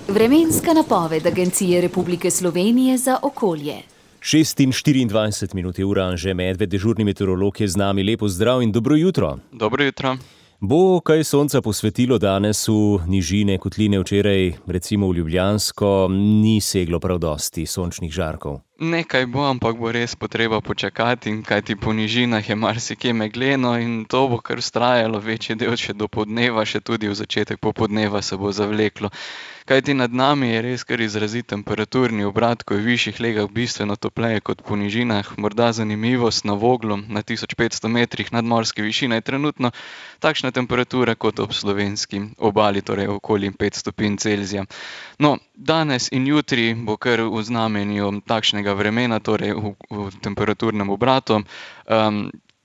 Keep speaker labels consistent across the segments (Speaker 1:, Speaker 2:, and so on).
Speaker 1: Vremenska napoved Agencije Republike Slovenije za okolje.
Speaker 2: 6:24 minut je ura, Anže Medved, dežurni meteorolog, je z nami. Lepo zdrav in dobro jutro.
Speaker 3: Dobro jutro.
Speaker 2: Bo kaj sonca posvetilo danes v nižine kotline? Včeraj, recimo v Ljubljansko, ni seglo prav dosti sončnih žarkov.
Speaker 3: Nekaj bo, ampak bo res potreba počakati, in kajti po nižinah je marsikje megleno in to bo kar vztrajalo večji del še do podneva, še tudi v začetek popoldneva se bo zavleklo. Kajti nad nami je res kar izrazit temperaturni obrat, ko je v višjih legah bistveno topleje kot po nižinah. Morda zanimivost, na Voglu, na 1500 metrih nadmorske višine, je trenutno takšna temperatura kot ob slovenski obali, torej okoli 5 stopinj Celzija. No, danes in jutri bo kar v znamenju takšnega vremena, torej v temperaturnem obratu.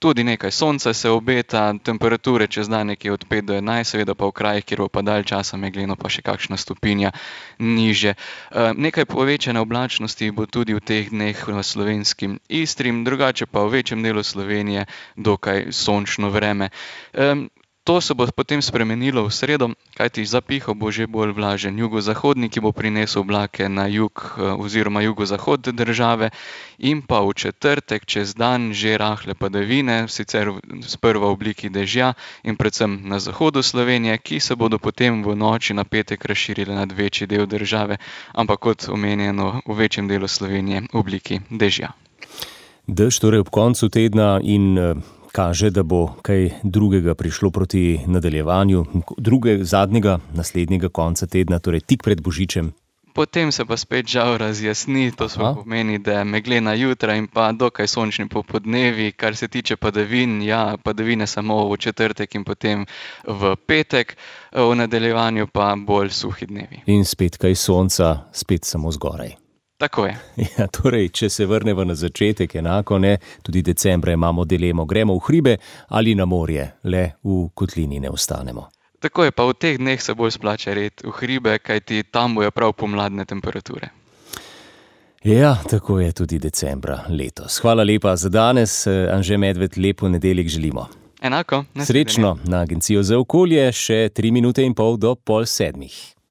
Speaker 3: Tudi nekaj sonca se obeta, temperature čez dan nekje od 5 do 11, seveda pa v krajih, kjer bo pa dalj časa megleno, pa še kakšna stopinja niže. Nekaj povečane oblačnosti bo tudi v teh dneh v slovenski Istri, drugače pa v večjem delu Slovenije dokaj sončno vreme. To se bo potem spremenilo v sredo, kajti zapihal bo že bolj vlažen jugozahodnik, ki bo prinesel oblake na jug oziroma jugozahod države, in pa v četrtek čez dan že rahle padavine, sicer sprva v obliki dežja in predvsem na zahodu Slovenije, ki se bodo potem v noči na petek razširile nad večji del države, ampak kot omenjeno v večjem delu Slovenije v obliki dežja.
Speaker 2: Dež torej ob koncu tedna in kaže, da bo kaj drugega prišlo proti nadaljevanju, zadnjega, naslednjega konca tedna, torej tik pred Božičem.
Speaker 3: Potem se pa spet žal razjasni, to pomeni, da je meglena jutra in pa dokaj sončni popoldnevi. Kar se tiče padavin, padavine samo v četrtek in potem v petek, v nadaljevanju pa bolj suhi dnevi.
Speaker 2: In spet kaj sonca, spet samo zgoraj.
Speaker 3: Tako je.
Speaker 2: Ja, torej, če se vrnemo na začetek, enako ne, tudi decembra imamo dilemo, gremo v hribe ali na morje, le v kotlini ne ostanemo.
Speaker 3: Tako je, pa v teh dneh se bolj splača red v hribe, kajti tam bojo prav pomladne temperature.
Speaker 2: Ja, tako je tudi decembra letos. Hvala lepa za danes, Anže Medved, lepo nedeljek želimo.
Speaker 3: Enako.
Speaker 2: Srečno na Agencijo za okolje, še 3 minute in pol do 6:30.